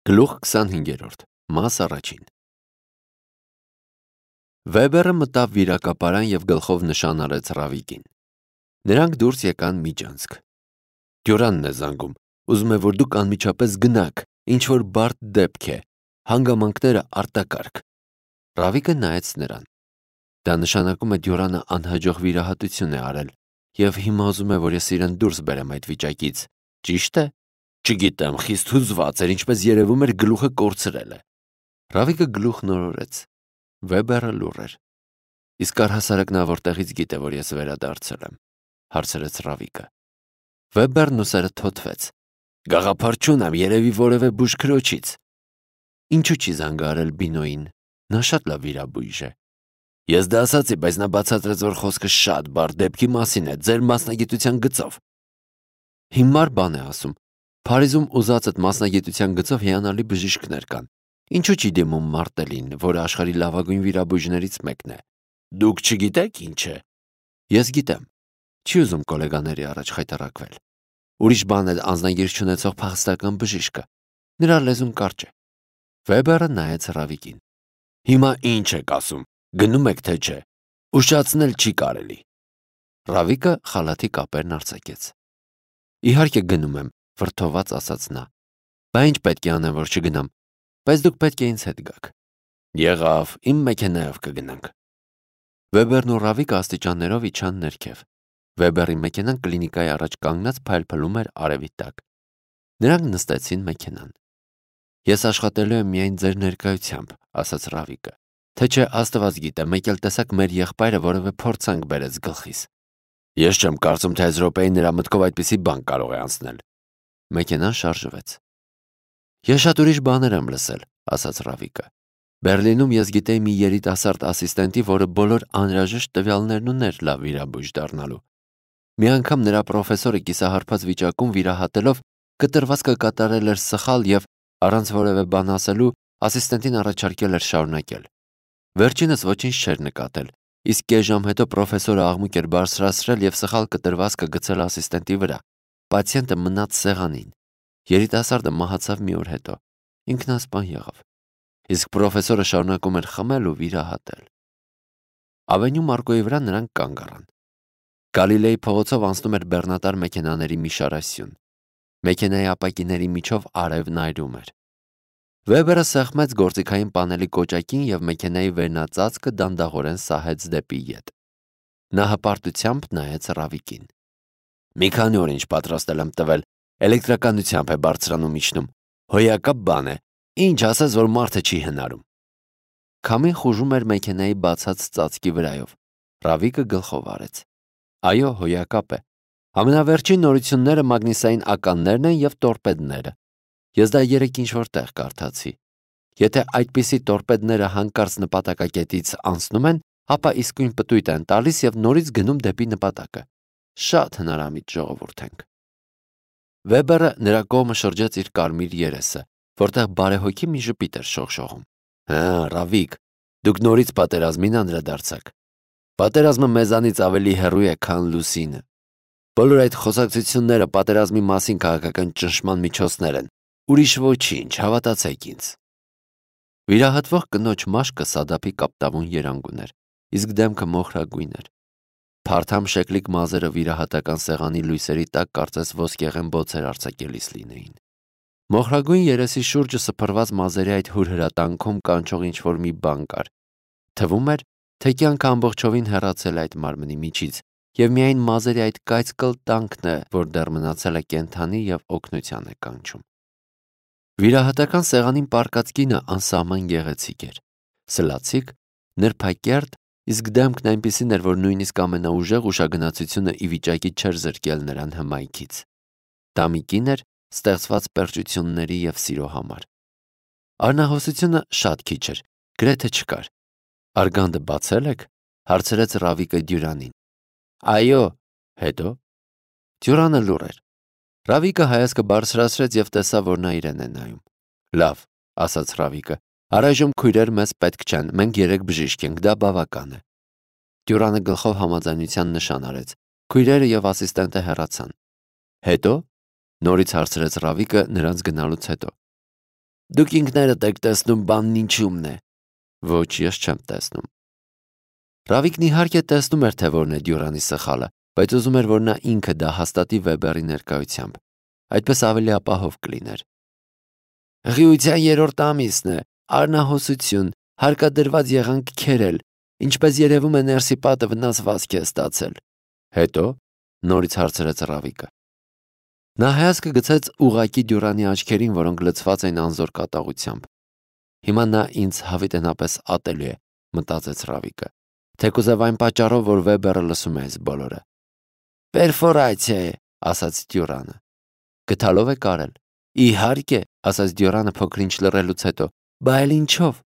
Գլուխ 25-րդ, մաս առաջին։ Վեբերը մտավ վիրակապարան և գլխով նշան արեց Ռավիկին։ Նրանք դուրս եկան միջանցք։ Դյուրանն է զանգում, ուզում է, որ դուք անմիջապես գնաք, ինչ-որ բարդ դեպք է, հանգամանքները արտակարգ։ Ռավիկը նայեց նրան։ Դա նշանակում է Դյուրանը անհաջող վիրահատություն է արել և հիմա ուզում է, որ ես իրեն դուրս բերեմ այդ վիճակից, ճիշտ է։ Չգիտեմ, խիստ հուզված էր, ինչպես երևում էր գլուխը կորցրել է։ Ռավիկը գլուխն օրորեց։ Վեբերը լուռ էր։ Իսկ առհասարակ նա որտեղից գիտե, որ ես վերադարձել եմ, հարցրեց Ռավիկը։ Վեբերն ուսերը թոթվեց։ Գաղափար չունեմ, երևի որևէ բուժքրոջից։ Ինչու չի զանգահարել Բինոյին։ Նա շատ լավ վիրաբույժ է։ Ես դա ասացի, բայց նա բացատրեց, որ խոսքը շատ բարդ դեպքի մասին է, ձեր մասնագիտության գծով։ Հիմար բան է ասում։ Փարիզում ուզածդ մասնագիտության գծով հիանալի բժիշկներ կան։ Ինչու չի դիմում Մարտելին, որը աշխարհի լավագույն վիրաբույժներից մեկն է։ Դուք չգիտեք ինչ է։ Ես գիտեմ։ Չի ուզում գոլեգաների առաջ խայտառակվել։ Ուրիշ բան է անձնագիր չունեցող փախստական բժիշկը։ Նրա լեզուն կարճ է։ Վեբերը նայեց Ռավիկին։ Հիմա ինչ եք ասում։ Գնում եք թե չէ։ Ուշացնել չի կարելի։ Ռավիկը խալաթի կապերն արձակեց։ Իհարկե գնում եմ, վրդոված ասաց նա։ Բա ինչ պետք է անեմ, որ չգնամ։ Բայց դուք պետք է ինձ հետ գաք։ Եղավ, իմ մեքենայով կգնանք։ Վեբերն ու Ռավիկը աստիճաններով իջան ներքև։ Վեբերի մեքենան կլինիկայի առաջ կանգնած փայլփլում էր արևի տակ։ Նրանք նստեցին մեքենան։ Ես աշխատելու եմ միայն ձեր ներկայությամբ, ասաց Ռավիկը։ Թե չէ Աստված գիտե, մեկ էլ տեսակ մեր եղբայրը որևէ փորձանք բերեց գլխիս։ Ես չեմ կարծում, թե այս րոպեին նրա մտքով այդպիսի բան կարող է անցնել։ Մեքենան շարժվեց։ Ես շատ ուրիշ բաներ եմ լսել, ասաց Ռավիկը։ Բերլինում ես գիտեի մի երիտասարդ ասիստենտի, որը բոլոր անհրաժեշտ տվյալներն ուներ լավ վիրաբույժ դառնալու։ Մի անգամ նրա պրոֆեսորը կիսահարբած վիճակում վիրահատելով կտրվածքը կատարել էր սխալ և առանց որևէ բան ասելու ասիստենտին առաջարկել էր շարունակել։ Վերջինս ոչինչ չէր նկատել, իսկ կես ժամ հետո պրոֆեսորը աղմուկ էր բարձրացրել և սխալ կտրվածքը գցել ասիստենտի վրա։ Պացիենտը մնաց սեղանին։ Երիտասարդը մահացավ մի օր հետո։ Ինքնասպան եղավ։ Իսկ պրոֆեսորը շարունակում էր խմել ու վիրահատել։ Ավենյու Մարկոյի վրա նրանք կանգ առան։ Գալիլեի փողոցով անցնում էր բեռնատար մեքենաների մի շարասյուն։ Մեքենայի ապակիների միջով արևն այրում էր։ Վեբերը սեղմեց գործիքային պանելի կոճակին և մեքենայի վերնածածկը դանդաղորեն սահեց դեպի ետ։ Նա հպարտությամբ նայեց Ռավիկին։ Մի քանի օր ինչ պատրաստել եմ տվել, էլեկտրականությամբ է բարձրանում իջնում։ Հոյակապ բան է, ինչ ասես, որ մարդը չի հնարում։ Քամին խուժում էր մեքենայի բացած ծածկի վրայով։ Ռավիկը գլխով արեց։ Այո, հոյակապ է։ Ամենավերջին նորությունները մագնիսային ականներն են և տորպեդները։ Ես դա երեկ ինչ-որ տեղ կարդացի։ Եթե այդպիսի տորպեդները հանկարծ նպատակակետից անցնում են, ապա իսկույն պտույտ են տալիս և նորից գնում դեպի նպատակը։ Շատ հնարամիտ ժողովուրդ ենք։ Վեբերը նրա կողմը շրջեց իր կարմիր երեսը, որտեղ բարեհոգի մի ժպիտ էր շողշողում։ Հա, Ռավիկ, դուք նորից պատերազմին անդրադարձաք։ Պատերազմը մեզանից ավելի հեռու է, քան լուսինը։ Բոլոր այդ խոսակցությունները պատերազմի մասին քաղաքական ճնշման միջոցներ են։ Ուրիշ ոչինչ, հավատացեք ինձ։ Վիրահատվող կնոջ մաշկը Սադափի կապտավուն երանգ ուներ, իսկ դեմքը մոխրագույն էր։ Փարթամ շեկլիկ մազերը վիրահատական սեղանի լույսերի տակ կարծես ոսկեղեն բոցեր արձակելիս լինեին։ Մոխրագույն երեսի շուրջը սփռված մազերի այդ հուրհրատանքում կանչող ինչ-որ մի բան կար։ Թվում էր, թե կյանքը ամբողջովին հեռացել է այդ մարմնի միջից, և միայն մազերի այդ կայծկլ տանքն է, որ դեռ մնացել է կենդանի և օգնության է կանչում։ Վիրահատական սեղանին պառկած կինը անսահման գեղեցիկ էր։ Սլացիկ, նրբակերտ, իսկ դեմքն այնպիսին էր, որ նույնիսկ ամենաուժեղ ուշագնացությունը ի վիճակի չէր զրկել նրան հմայքից։ Դա մի կին էր, ստեղծված պերճությունների և սիրո համար։ Արնահոսությունը շատ քիչ էր, գրեթե չկար։ Արգանդը բացել եք, հարցրեց Ռավիկը Դյուրանին։ Այո, հետո։ Դյուրանը լուռ էր։ Ռավիկը հայացքը բարձրացրեց և տեսավ, որ նա իրեն է նայում։ Լավ, ասաց Ռավիկը, առայժմ քույրեր մեզ պետք չեն, մենք 3 բժիշկ ենք, դա բավական է։ Դյուրանը գլխով համաձայնության նշան արեց։ Քույրերը և ասիստենտը հեռացան։ Հետո, նորից հարցրեց Ռավիկը նրանց գնալուց հետո։ Դուք ինքներդ եք տեսնում բանն ինչումն է։ Ոչ, ես չեմ տեսնում։ Ռավիկն իհարկե տեսնում էր, թե որն է Դյուրանի սխալը, բայց ուզում էր, որ նա ինքը դա հաստատի Վեբերի ներկայությամբ։ Այդպես ավելի ապահով կլիներ։ Ղիության 3-րդ ամիսն է, արնահոսություն, հարկադրված եղանք քերել, ինչպես երևում է ներսի պատը վնասվածք է ստացել։ Հետո նորից հարցրեց Ռավիկը։ Նա հայացքը գցեց ուղղակի Դյուրանի աչքերին, որոնք լցված էին անզոր կատաղությամբ։ Հիմա նա ինձ հավիտենապես ատելու է, մտածեց Ռավիկը, թեկուզև այն պատճառով, որ Վեբերը լսում է այս բոլորը։ Պերֆորացիա է, ասաց Դյուրանը։ Գդալով է կարել։ Իհարկե, ասաց Դյուրանը փոքրինչ լռելուց հետո, բա էլ ինչով։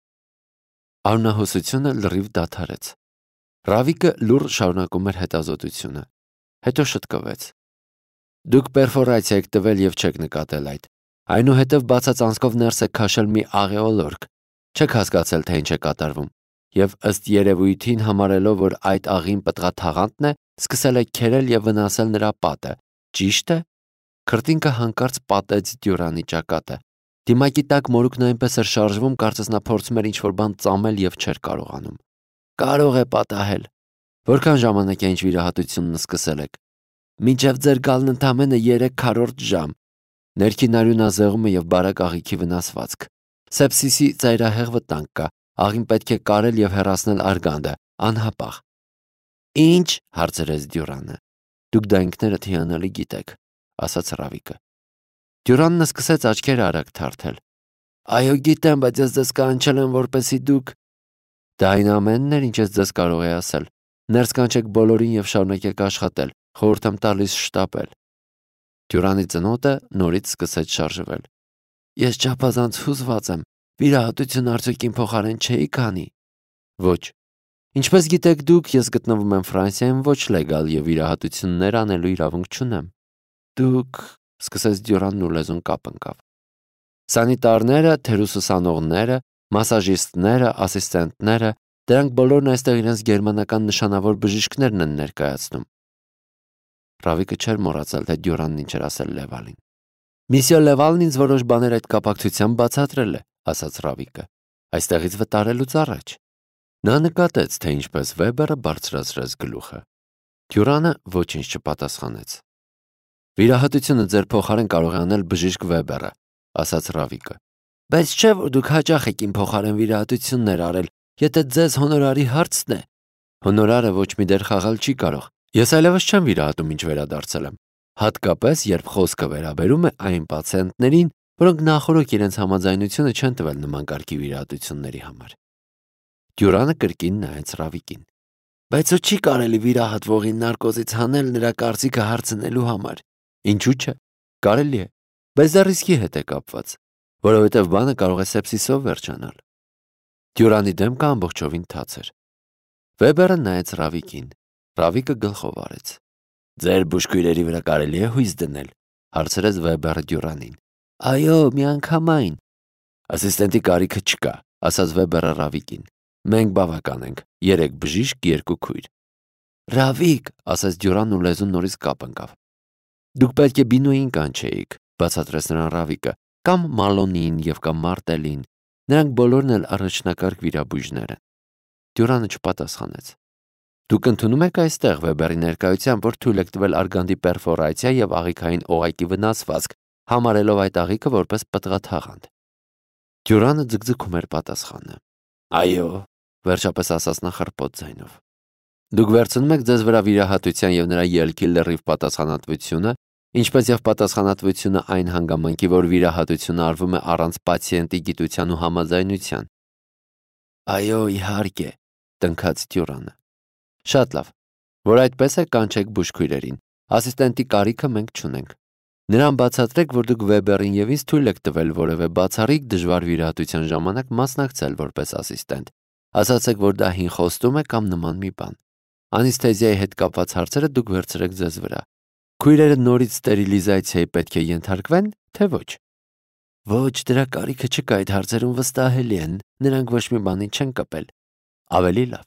Արնահոսությունը լրիվ դադարեց։ Ռավիկը լուռ շարունակում էր հետազոտությունը։ Հետո շտկվեց։ Դուք պերֆորացիա եք տվել եւ չեք նկատել այդ։ Այնուհետև բացած անցքով ներս եք քաշել մի աղեոլորկ։ Չեք հասկացել, թե ինչ է կատարվում։ Եվ ըստ երևույթին համարելով, որ այդ աղին պտղաթաղանթն է, սկսել եք քերել եւ վնասել նրա պատը։ Ճիշտ է։ Քրտինքը հանկարծ պատեց Դյուրանի ճակատը։ Դիմակի տակ մորուքն այնպես էր շարժվում, կարծես նա փորձում էր ինչ-որ բան ծամել եւ չէր կարողանում։ Կարող է պատահել։ Որքան ժամանակ է ինչ վիրահատությունն սկսել եք։ Մինչև ձեր գալն ընդամենը 3/4 ժամ։ Ներքին արյունազեղումը եւ բարակ աղիքի վնասվածք։ Սեպսիսի ծայրահեղ վտանգ կա։ Աղին պետք է կարել եւ հեռացնել արգանդը, անհապաղ։ Ինչ, հարցրեց Դյուրանը։ Դուք դա ինքներդ հիանալի գիտեք, ասաց Ռավիկը։ Դյուրանն սկսեց աչքերը արագ թարթել։ Այո, գիտեմ, բայց ես ձեզ կանչել եմ, որպեսզի դուք… Դա այն ամենն էր, ինչ ես ձեզ կարող է ասել։ Ներս կանչեք բոլորին եւ շարունակեք աշխատել։ Խորհուրդ եմ տալիս շտապել։ Դյուրանի ծնոտը նորից սկսեց շարժվել։ Ես չափազանց հուզված եմ։ Վիրահատություն արդյոք իմ փոխարեն չէի քանի։ Ոչ։ Ինչպես գիտեք դուք, ես գտնվում եմ Ֆրանսիայում ոչ լեգալ եւ վիրահատություններ անելու իրավունք չունեմ։ Դուք… սկսեց Դյուրանն ու լեզուն կապ ընկավ։ Սանիտարները, թերուսուսանողները, մասաժիստները, ասիստենտները, դրանք բոլորն այստեղ իրենց գերմանական նշանավոր բժիշկներն են ներկայացնում։ Ռավիկը չէր մոռացել, թե Դյուրանն ինչ էր ասել Լևալին։ Միսիո Լևալն ինձ որոշ բաներ այդ կապակցությամբ բացատրել է, ասաց Ռավիկը, այստեղից վտարելուց առաջ։ Նա նկատեց, թե ինչպես Վեբերը բարձրացրեց գլուխը։ Դյուրանը ոչինչ չպատասխանեց։ Վիրահատությունը ձեր փոխարեն կարող է անել բժիշկ Վեբերը, ասաց Ռավիկը։ Բայց չէ՞ որ դուք հաճախ եք իմ փոխարեն վիրահատություններ արել, եթե ձեզ հոնորարի հարցն է։ Հոնորարը ոչ մի դեր խաղալ չի կարող։ Ես այլևս չեմ վիրահատում, ինչ վերադարձել եմ։ Հատկապես, երբ խոսքը վերաբերում է այն պացիենտներին, որոնք նախորդ իրենց համաձայնությունը չեն տվել նման կարգի վիրահատությունների համար։ Դյուրանը կրկին նայեց Ռավիկին։ Բայց ու չի կարելի վիրահատվողին նարկոզից հանել նրա կարծիքը հարցնելու համար։ Ինչու՞ չէ։ Կարելի է, բայց դա ռիսկի հետ է կապված, որովհետև բանը կարող է սեպսիսով վերջանալ։ Դյուրանի դեմքը ամբողջովին թաց էր։ Վեբերը նայեց Ռավիկին։ Ռավիկը գլխով արեց։ Ձեր բուժքույրերի վրա կարելի է հույս դնել, հարցրեց Վեբերը Դյուրանին։ Այո, միանգամայն։ Ասիստենտի կարիքը չկա, ասաց Վեբերը Ռավիկին։ Մենք բավական ենք, 3 բժիշկ, 2 քույր։ Ռավիկ, ասաց Դյուրանն ու լեզուն նորից կապ ընկավ։ Դուք պետք է Բինոյին կանչեիք, բացատրեց նրան Ռավիկը, կամ Մալոնին եւ կամ Մարտելին։ Նրանք բոլորն էլ առաջնակարգ վիրաբույժներ են։ Դյուրանը չպատասխանեց։ Դուք ընդունում եք այստեղ Վեբերի ներկայությամբ, որ թույլ եք տվել արգանդի պերֆորացիա եւ աղիքային օղակի վնասվածք, համարելով այդ աղիքը որպես պտղաթաղանթ։ Դյուրանը ձգձգում էր պատասխանը։ Այո, վերջապես ասաց նա խռպոտ ձայնով։ Դուք վերցնում եք ձեզ վրա վիրահատության եւ նրա ելքի լրիվ պատասխանատվությունը, ինչպես եւ պատասխանատվությունը այն հանգամանքի, որ վիրահատությունը արվում է առանց պացիենտի գիտության ու համաձայնության։ Այո, իհարկե, տնքաց Դյուրանը։ Շատ լավ, որ այդպես է, կանչեք բուժքույրերին։ Ասիստենտի կարիքը մենք չունենք։ Նրան բացատրեք, որ դուք Վեբերին եւ ինձ թույլ եք տվել որևէ բացառիկ դժվար վիրահատության ժամանակ մասնակցել որպես ասիստենտ։ Ասացեք, որ դա հին խոստում է կամ նման մի բան։ Անեսթեզիայի հետ կապված հարցերը դուք վերցրեք ձեզ վրա։ Քույրերը նորից ստերիլիզացիայի պետք է ենթարկվեն, թե ոչ։ Ոչ, դրա կարիքը չկա, այդ հարցերում վստահելի են, նրանք ոչ մի բանի չեն կպել։ Ավելի լավ,